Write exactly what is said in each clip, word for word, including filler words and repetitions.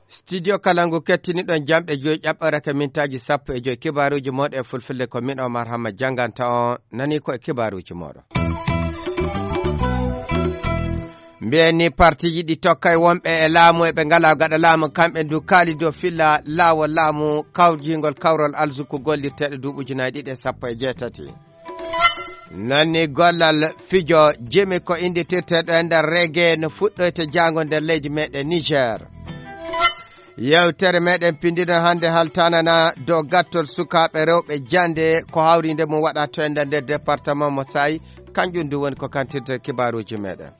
Studio Kalangu kettiniɗon jamɗe joyi ƴaɓɓorake mintaaji sappo e joyi. Kibaaruuji mooɗon e fulfulde ko min Omar Hamma jannganta on. Nani ko e kibaaruuji mooɗon. Mbiyen ni partiiji ɗi tokkay wonɓe e laamu e ɓe ngalaa gaɗa laamu, kamɓe ndu kaali dow filla laawol laamu kawjingol kawrol alzuku gollirteeɗo duuɓi ujunaaji ɗiɗi e sappo e jeetati. Nani gollal fijo jimi ko innditirteeɗo e nder rege no fuɗɗoyte jaango nder leydi meɗen Niger. Yewtere meɗen pindino hannde haltanana dow gattol sukaaɓe rewɓe jannde ko hawrinde mum waɗa to enda nder département mo Sayi, kanjum ndu woni ko kantirte kibaaruuji meɗen.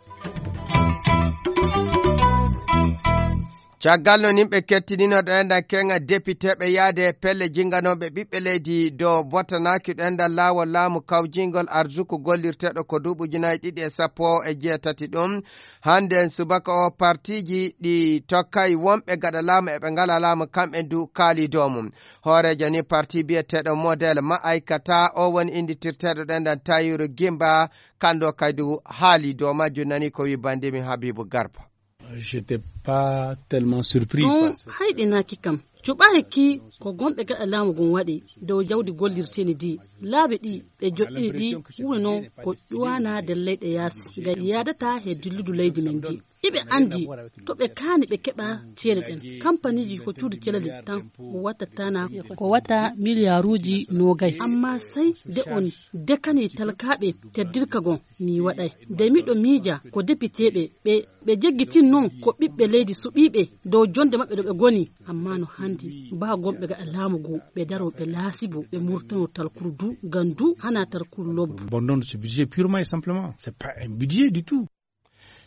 Caggal no nimɓe kettinino ɗo enɗan keŋa depiteeɓe yaade pelle jinganooɓe ɓiɓɓe leydi dow bottanaaki ɗo enɗan laawol laamu kawjingol arzuku gollirteeɗo ko duuɓi ujunaaji ɗiɗi e sappo e jeetati ɗum. Hannde en subaka o partiiji ɗi tokkay wonɓe gaɗa laamu e ɓe ngalaa laamu kamɓe ndu kaali dow mum. Hooreejo ni parti biyeteeɗo model ma'aykata o woni innditirteeɗo ɗo enɗan Tayiru Gimba, kanndo kaydu haali dow majjum nani ko wi bandimi Habibu Garba. J'étais pas tellement surpris. Ɗum hayɗinaaki kam. Cuɓaaki ko gomɓe gaɗa laamu ngun waɗi dow jawdi gollirteeni ndi. Laabi ɗi ɓe joɗɗini ɗi woni noon ko ƴuwana nder leyɗe yaasi. Nga yaadata he dilludu leydi men ndi. Iɓe anndi to ɓe kaani ɓe keɓa ceede ɗen. Kampaniiji ko cuuɗi celali tan wattata na ko watta miliyaaruuji noogay. Amma sey nde on dekani talkaaɓe teddirka gon mi waɗay. Nde miɗo miija ko depiteeɓe ɓe ɓe jeggitin noon ko ɓiɓɓe leydi suɓiiɓe dow jonde maɓɓe ɗo ɓe ngoni. Amma no hanndi baa gomɓe gaɗa laamu ngu ɓe daro ɓe laasibo ɓe murtano talkuru du ngam du hana talkuru lobbo. Bon, non, ce budget purement et simplement, c'est pas un budget du tout.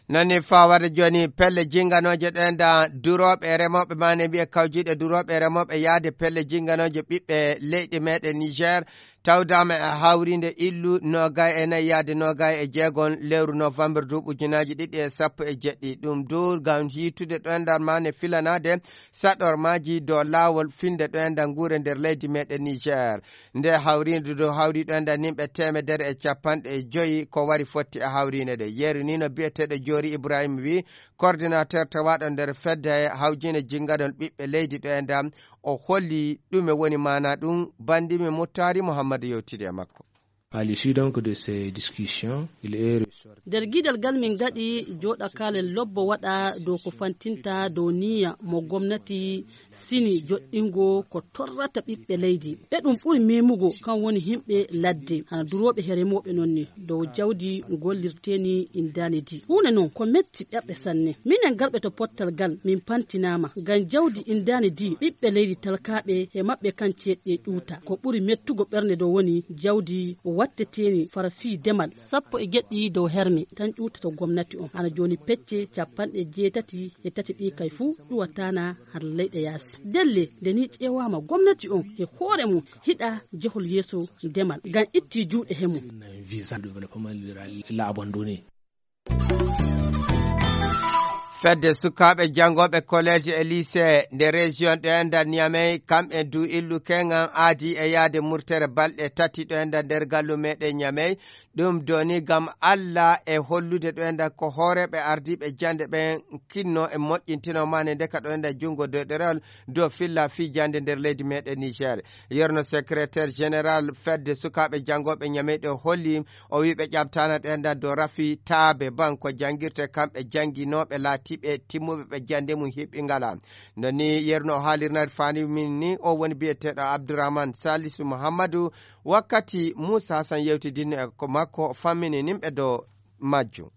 Nani fawade joni pelle jinganooje ɗo enɗan durooɓe e remooɓe mane mbiye kawjiiɗe durooɓe e remooɓe yaade pelle jinganooje ɓiɓɓe leyɗe meɗen Niger. Tawdaama e hawriinde illu noogay e nayi yaade noogay e jeegon lewru novembre duuɓi ujunaaji ɗiɗi e sappo e jeɗɗi. Ɗum du ngam yiitude ɗo enɗan mane filanaade saɗormaaji dow laawol finde ɗo enɗan nguure nder leydi meɗen Niger. Nde hawriinde dow hawri ɗo enɗan nimɓe teemedere e capanɗe joyi ko wari fotti e hawriinde nde. Yeru ni no biyeteeɗo Joori Ibrahima wi, coordinateur tawaaɗo nder fedde hawjine jinganol ɓiɓɓe leydi ɗo enɗan, o holli ɗume woni maana ɗum. Bandimi Muttari Muhammad yewtidi e makko. À l'issue donc de ces discussions, il est ressorti. Nder giidal ngal min ngaɗi jooɗakaale lobbo waɗa dow ko fantinta dow niyya mo gomnati sini joɗɗingo ko torrata ɓiɓɓe leydi. Ɓe ɗum ɓuri memugo kan woni himɓe ladde, hana durooɓe he remooɓe non ni, dow jawdi gollirteeni indaani di. Huunde non ko metti ɓerɗe sanne. Minen garɓe to pottal gal min pantinaama ngam jawdi indaani di ɓiɓɓe leydi talkaaɓe he maɓɓe kan ceeɗɗe ƴuuta. Ko ɓuri mettugo ɓernde dow woni jawdi watteteeni fara fii demal. Sappo e jeɗɗi dow herme tan ƴuuta to gomnati on. Hana jooni pecce capanɗe jeetati e tati ɗi kay fuu ƴuwataana har leyɗe yaasi. Delle nde ni ƴeewaama gomnati on e hoore mum hiɗa jehol yeeso demal ngam itti juuɗe he mum. Visa de développement rural l'a abandonné. Fedde sukaaɓe janngooɓe collège e lycée nde région ɗo enɗan Niamey, kamɓe du illu keŋan aadi e yaade murtere balɗe tati ɗo enɗan nder gallu meɗen Niamey. Ɗum doni ngam Alla e hollude ɗo enɗan ko hooreeɓe ardiiɓe jannde ɓen kinno e moƴƴintino mane ndeka ɗo enɗan junngo dow ɗerewol dow filla fii jannde nder leydi meɗen Niger. Yerno secrétaire général fedde sukaaɓe janngooɓe Niamey ɗo holli, o wi ɓe ƴamtaana ɗo enɗan dow rafi taabe ban ko janngirte kamɓe jannginooɓe laatiiɓe timmuɓe ɓe jannde mum hiɓɓi ngala. No ni yerno o haalirnari faani min ni o woni biyeteeɗo Abdourahmane Salisu Muhammadu. Wakkati Muusa Hasan yewtidinno e ko makko fammini nimɓe dow majjum.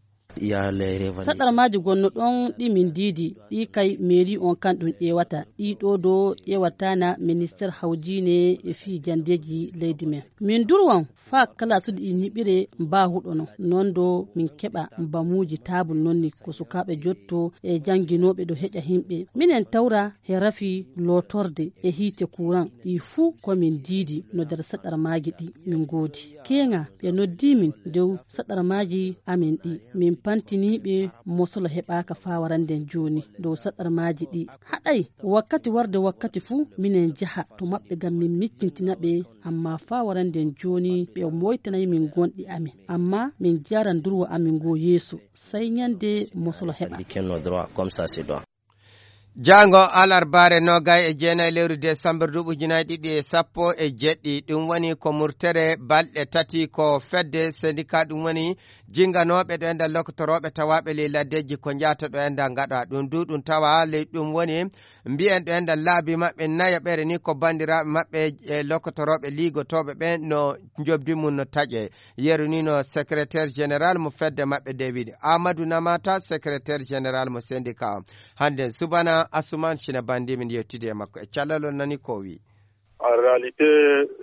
Saɗarmaaji gonno ɗon ɗi min diidi ɗi kay mairie on kan ɗum ƴeewata ɗi ɗo do ƴeewatana ministère hawjiine e fii janndeeji leydi men. Min durwan faa kalaasuɗi ɗi ñiɓire mbaahuɗo no non do min keɓa mbamuuji taabul non ni ko sukaaɓe jotto e jannginooɓe ɗo heƴa himɓe. Minen tawra he rafi lootorde e hiite kuran ɗi fuu ko min diidi no nder saɗarmaaji ɗi min ngoodi. Keeŋa ɓe noddi min dow saɗarmaaji amin ɗi min pantiniiɓe mosolo heɓaaka faa warande jooni dow saɗarmaaji ɗi. Haɗay wakkati warde wakkati fuu minen njaha to maɓɓe ngam min miccintina ɓe, ammaa faa warande jooni ɓe mooytanay min gonɗi amin. Ammaa min njaaran durwa amin ngoo yeeso, sey nyannde mosolo heɓa. Jaango alarbaare noogay e jeenay lewru desambar duuɓi ujunaaji ɗiɗi e sappo e jeɗɗi, ɗum woni ko murtere balɗe tati ko fedde sendika, ɗum woni jinganooɓe ɗo e nder lokotorooɓe tawaaɓe ley laddeeji ko njaata ɗo e nder ngaɗa ɗum du ɗum tawa ley ɗum woni mbiyen ɗo e nder laabi maɓɓe nayaɓere ni ko banndiraaɓe maɓɓe e lokotorooɓe liigotooɓe ɓen no njobdi mum no taƴe. Yeru ni no secrétaire général mo fedde maɓɓe de wiɗi Amadou Namata, secrétaire général mo syndicat o. Hannde subana Asuman Cina Bandi min yewtidi e makko e callalol nani ko o wi. En réalité,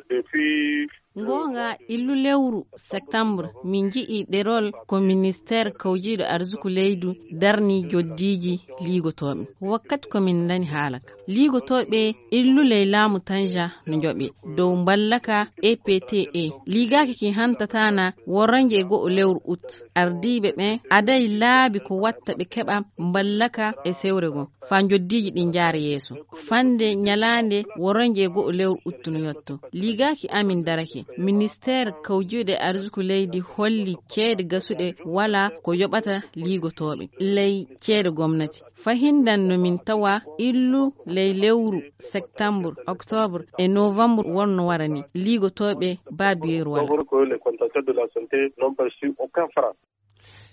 depuis Ngoonga illu lewru septembre min nji'i ɗerol ko ministère kawjiiɗo arsuku leydu darni joddiiji liigotooɓe. Wakkati ko min ndani haala ka. Liigotooɓe illu ley laamu Tanja no njoɓe dow mballaka E P T E. Liigaaki ki hantatana woronje e go'o lewru ut. Ardiiɓe ɓen aday laabi ko watta ɓe keɓa mballaka e sewre goo. Faa njoddiiji ɗin njaara yeeso. Fande nyalaande woronje e go'o lewru uttu no yotto. Liigaaki amin darake. Ministeer kawjuuɗe arsuku leydi holli ceede gasuɗe walaa ko yoɓata liigotooɓe ley ceede gomnati. Fahindan no min tawa illu ley lewru septambur, oktobur e novambur wonno wara ni. Liigotooɓe baabiyeeru walaa.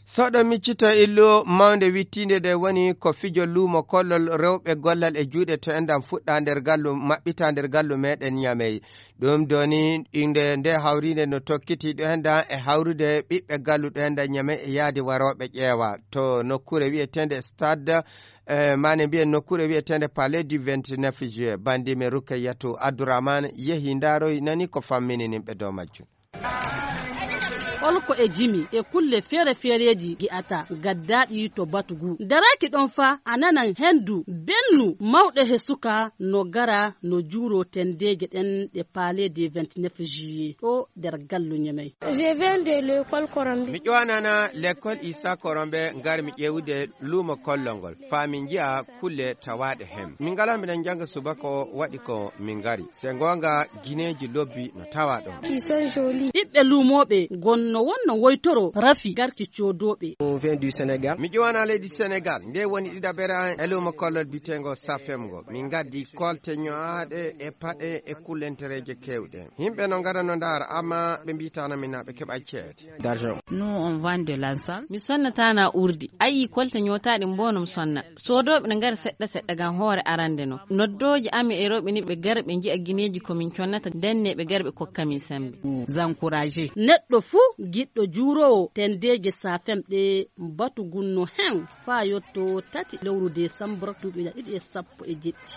Soɗo miccito illu mawnde wittiinde nde woni ko fijo luumo kollol rewɓe gollal e juuɗe to enɗan fuɗɗa nder gallu maɓɓita nder gallu meɗen Ñamey. Ɗum doni inde nde hawriinde no tokkiti ɗo enɗan e hawrude ɓiɓɓe gallu ɗo enɗan Ñamey e yaadi warooɓe ƴeewa to nokkuure wiyeteende stade, eh, mane mbiyen nokkuure wiyeteende palais du vingt-neuf juillet. Bandi men Rukayatu Abdourahmane yehi ndaaroy nani ko fammini nimɓe dow majjum. Holko e jimi e kulle feere-feereeji gi'ata gaddaaɗi to batu ngu. Daraaki ɗon fa a nanan hendu belnu mawɗo he suka no gara no juuro tendeeje ɗen ɗe palais de vingt-neuf juillet ɗo nder gallu Ñamey. Je viens de l'école Korombe. Mi ƴowanana l'école Issa Korombe ngar mi ƴeewude luumo kollol ngol. Faa min nji'a kulle tawaaɗe heen. Min ngalaa miɗen njannga subaka o waɗi ko min ngari. Se ngoonga gineeji lobbi no tawaa ɗon. Qui sont jolis. Ɓiɓɓe luumooɓe ngon no wonno woytoro rafi garki coodooɓe. On vient du Sénégal. Mi ƴowana leydi Senegal. Nde woni ɗiɗaɓere an e luumo kollol biteengo Safem ngo. Min ngaddi kolte ño'aaɗe e paɗe e kullentereeje keewɗe. Yimɓe no ngara no ndaara, amma ɓe mbiitaano min na ɓe keɓa ceede. D'argent. Nous, on vend de l'encens. Mi sonnataana urdi. Ayi, kolte ñootaaɗe mbono mi sonna. Soodooɓe no ngara seɗɗa seɗɗa ngam hoore arande no. Noddooji amin e rewɓe ni ɓe gara ɓe nji'a gineeji ko min connata, ndenne ɓe gara ɓe kokka min sembe. Nous encourager. Neɗɗo fuu giɗɗo juuroowo tendeeje Safem ɗe batu ngun no hen faa yotto tati lewru desambur duuɓi ɗiɗi e sappo e jeɗɗi.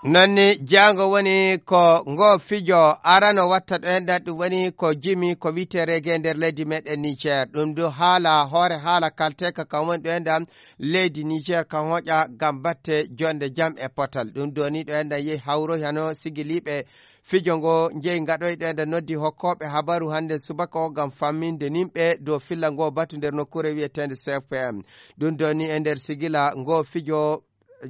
Nonni jaango woni ko ngo fijo arano watta ɗo enɗan ɗum woni ko jimi ko wi'ete reggae nder leydi meɗen Niger. Ɗum du haala hoore haala kalteeka kan woni ɗo enɗan leydi Niger kan hoƴa ngam batte jonde jam e potal. Ɗum doni ɗo enɗan yehi hawroy hano sigiliiɓe fijo ngo njeyi ngaɗoyɗo enɗan noddi hokkooɓe habaru hannde subaka o ngam famminde nimɓe dow filla ngo batu nder nokkuure wi'eteende C F P M. Ɗum doni e nder sigila ngo fijo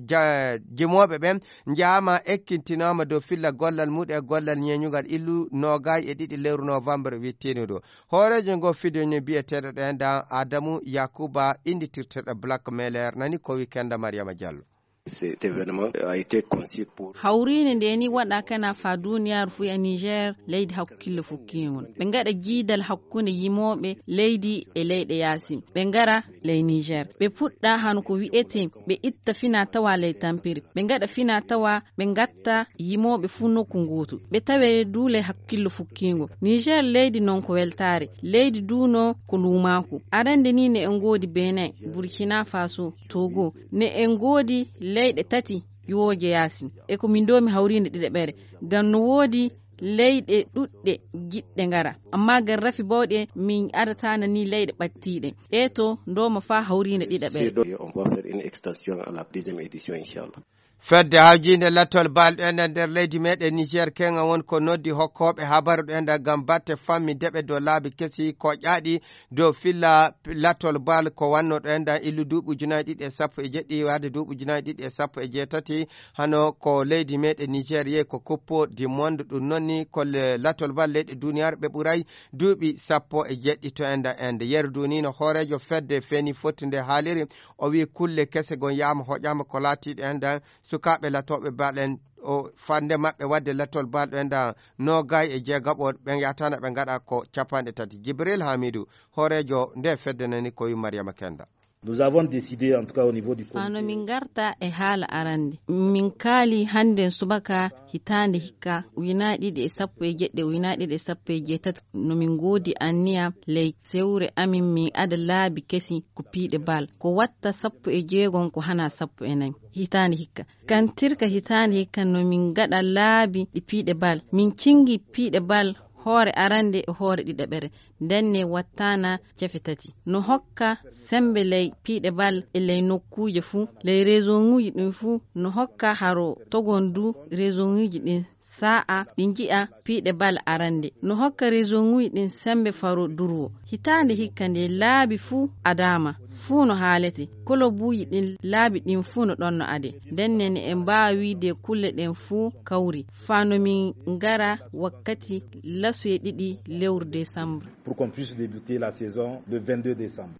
ja-, jimooɓe ɓen njaama ekkintinaama dow filla gollal muɗum e gollal ñeeñugal illu noogay e ɗiɗi lewru novembre wittiinuɗo. Hooreejo ngo fijo ni biyeteeɗo ɗo enɗan Adamu Yakuba innitirteeɗo Black Mailer nani ko wi Kenda Mariama Diallo. Cet événement a été conçu pour. Hawriinde nde ni waɗa kana faa duuniyaaru fuu e Niger, leydi hakkille fukkiingol. Ɓe ngaɗa jiidal hakkunde yimooɓe leydi e leyɗe yaasin. Ɓe ngara ley Niger. Ɓe puɗɗa hano ko wi'etee, ɓe itta fina tawa ley tampere. Ɓe ngaɗa fina tawa, ɓe ngatta yimooɓe fuu nokku ngootu. Ɓe tawe du ley hakkillo fukkiingo. Niger leydi non ko weltaare. Leydi du no ko luumaaku. Arande ni ne en ngoodi Benin, Burkina Faso, Togo. Ne en ngoodi leyɗe tati ƴiwooje yaasin. E ko min doomi hawriinde ɗiɗaɓere. Ngam no woodi leyɗe ɗuɗɗe giɗɗe ngara. Amma ngam rafi bawɗe min adataana ni leyɗe ɓattiiɗe. Ɗee to ndooma faa hawriinde ɗiɗaɓere. Et on va faire une extension à la deuxième édition, inchallah. Fedde hawjiinde lattol bal ɗo enɗan nder leydi meɗen Niger, keŋa won ko noddi hokkooɓe habaru ɗo enɗan ngam batte fammi deɓe dow laabi kesi koƴaaɗi dow filla lattol bal ko wanno ɗo enɗan illu duuɓi ujunaaji ɗiɗi e sappo e jeɗɗi, waade duuɓi ujunaaji ɗiɗi e sappo e jeetati, hano ko leydi meɗen Niger yehi ko Coupe du Monde, ɗum noon ni ko le-, lattol bal leyɗe duniyaaru ɓe ɓuray duuɓi sappo e jeɗɗi to enɗan ende. Yeru du ni no hooreejo fedde feeni fotti nde haaliri, o wi'i kulle kese gon yaama hoƴaama ko laatiiɗe enɗan sukaaɓe latooɓe bal en, o fande maɓɓe wadde lattol bal ɗo enɗan noogay e jeegaɓo ɓen yahata na ɓe ngaɗa ko capanɗe tati. Jibril Hamidu, hooreejo nde fedde nani ko wi Mariama Kenda. Nous avons décidé, en tout cas au niveau du comité. Hano min ngarta e haala arande. Min kaali hannden subaka hitaande hikka, ujunaaji ɗiɗi e sappo e jeɗɗi, ujunaaji ɗiɗi e sappo e jeetati, no min ngoodi anniya ley sewre amin min ada laabi kesi ko piiɗe bal. Ko watta sappo e jeegom ko hana sappo e nayi hitaande hikka. Kantirka hitaande hikka no min ngaɗa laabi ɗi piiɗe bal. Min cingi piiɗe bal hoore arande e hoore ɗiɗaɓere. Ndenne wattana cefe tati. No hokka sembe ley piiɗe bal e ley nokkuuje fuu, ley rezoŋuuji ɗin fuu. No hokka haro togon du rezoŋuuji ɗin sa'a ɗi nji'a piiɗe bal arande. No hokka rezoŋuuji ɗin sembe faro durwo. Hitaande hikka nde laabi fuu adaama, fuu no haalete. Kolobuuji ɗin laabi ɗin fuu no ɗon no ade. Ndenne ne en mbaawi wiide kulle ɗen fuu kawri. Faa no min ngara wakkati lasoye ɗiɗi lewru desambre. Pour qu'on puisse débuter la saison le vingt-deux décembre.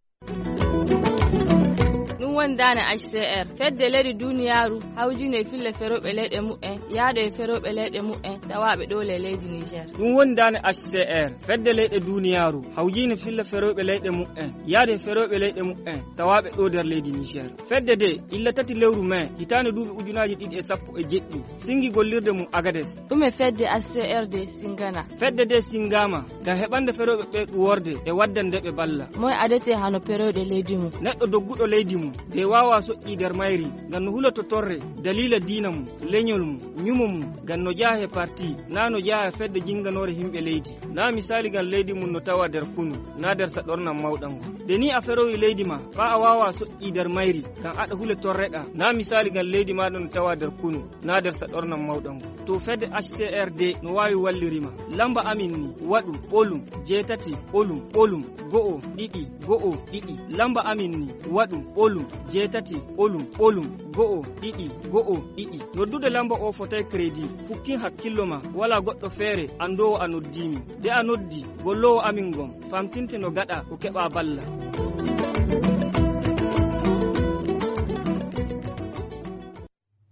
Ɗum woni daane H C R, fedde leyɗe duniyaaru hawjinde e fille ferooɓe leyɗe muɓɓen, yaade e ferooɓe leyɗe muɓɓen, tawaaɓe ɗo le leydi Niger. Ɗum woni daane H C R, fedde leyɗe duniyaaru hawjinde fille ferooɓe leyɗe muɓɓen, yaade e ferooɓe leyɗe muɓɓen, tawaaɓe ɗo nder leydi Niger. Fedde de, illa tati lewru mai, hitaande duuɓi ujunaaji ɗiɗi e sappo e jeɗɗi, singi gollirde mum Agades. Ɗume fedde H C R de singana? Fedde de singama ngam heɓande ferooɓe ɓe ɗuworde e waddande ɓe balla. Moy adete hano perooɗe leydi mum? Neɗɗo dogguɗo leydi mum, de waawa soƴƴi nder mayri, ngam no huloto torre, daliila diina mum, leñol mum, ñumo mum, ngam no jaha e parti, na no jaha e fedde jinganoore himɓe leydi. Na misaali ngam leydi mum no tawa nder kunu, na nder saɗornan mawɗan ngon. De ni a ferowi leydi ma, faa a waawa soƴƴi nder mayri, ngam aɗa hule torreɗa. Na misaali ngam leydi maaɗa no tawa nder kunu, na nder saɗornan mawɗan ngon. To fedde H C R D no waawi wallirima. Lamba amin ni, waɗu, ɓolum, jeetati, ɓolum, ɓolum, go'o, ɗiɗi, go'o, ɗiɗi. Lamba amin ni, waɗu, ɓolum, jeetati, ɓolum, ɓolum, go'o, ɗiɗi, go'o, ɗiɗi. Noddude lamba o fotay crédit. Fukkin hakkillo ma, wala goɗɗo feere anndoowo a noddii min. De a noddi, golloowo amin ngon, famtinte no gaɗa ko keɓa balla.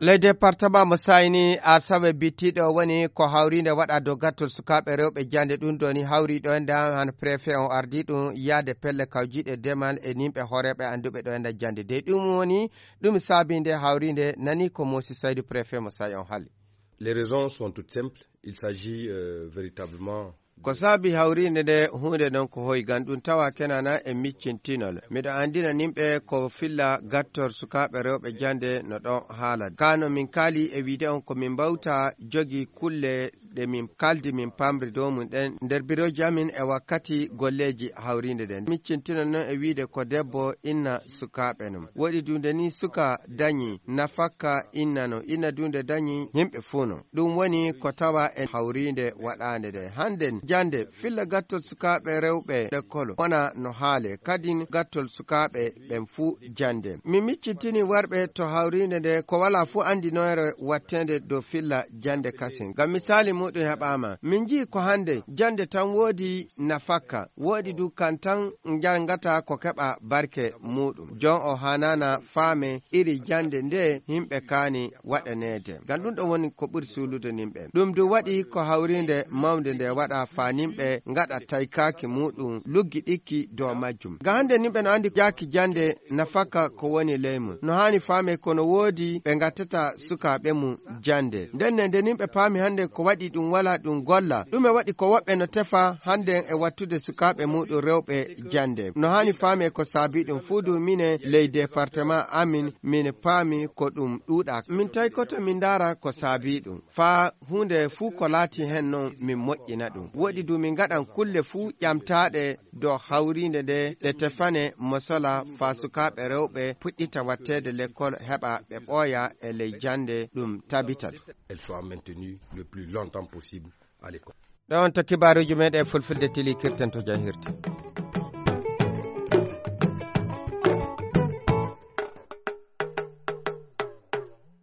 Ley departement mo sayni asawe bittiɗo woni ko hawriinde waɗa dow gattol sukaaɓe rewɓe jannde ɗum ɗoni hawri ɗo en ɗan han préfet on ardi ɗum yaade pelle kawjiiɗe demal e nimɓe hooreeɓe annduɓe ɗo en ɗan jannde dey ɗum woni ɗum saabinde hawriinde nani ko Mosi Saydu préfet mo say on hali. Les raisons sont toutes simples. Il s'agit, euh, véritablement. Ko saabi hawriinde nde huunde non ko hoy gan ɗum tawa kenana e miccintinol. Miɗo anndina nimɓe ko filla gattor sukaaɓe rewɓe jannde no ɗon haala. Kano min kaali e wiide on ko min mbawta jogi kulle ɗe min kaldi min pamri dow mum ɗen nder birooji amin e wakkati golleeji hawriinde nden. Miccintinol non e wiide ko debbo inna sukaaɓe non. Woɗi dunde ni suka dañi nafakka inna non. Inna dunde dañi yimɓe fuu non. Ɗum woni ko tawa e hawriinde waɗaande nde. Hannden jannde filla gattol sukaaɓe rewɓe lekkol wona no haale. Kadin gattol sukaaɓe ɓen fuu jannde. Mi miccitini warɓe to hawriinde nde ko walaa fuu anndinoore watteende dow filla jannde kasin. Ngam misaali muuɗum heɓaama. Min nji'i ko hannde jannde tan woodi nafakka. Woodi du kan tan njanngata ko keɓa barke muuɗum. Jon o haanaana faame iri jannde nde yimɓe kaani waɗaneede. Ngam ɗum ɗon woni ko ɓuri suulude nimɓe. Ɗum du waɗi ko hawriinde mawnde nde waɗa faa nimɓe ngaɗa taykaaki muuɗum luggiɗikki dow majjum. Ngam hannde nimɓe no anndi jaaki jannde nafaka ko woni ley mum. No haani faame ko no woodi ɓe ngattata sukaaɓe mum jannde. Ndenne nde nimɓe paami hannde ko waɗi Ɗum wala ɗum golla. Ɗume waɗi ko woɓɓe no tefa hannde e wattude sukaaɓe muɗum rewɓe jannde? No haani faame ko saabi ɗum fuu du mine ley departement amin, min paami ko ɗum ɗuuɗa. Min tawi koto min ndaara ko saabi ɗum. Faa huunde fuu ko laati heen noon min moƴƴina ɗum. Woɗi du min ngaɗan kulle fuu ƴamtaaɗe dow hawriinde nde ɗe tefane mosola faa sukaaɓe rewɓe puɗɗita watteede lekkol heɓa ɓe ɓooya e ley jannde ɗum tabita. Elles soient maintenues le plus longtemps possible à l'école. Ɗon to kibaaruuji meɗen fulfulde tili kirten to jahirte.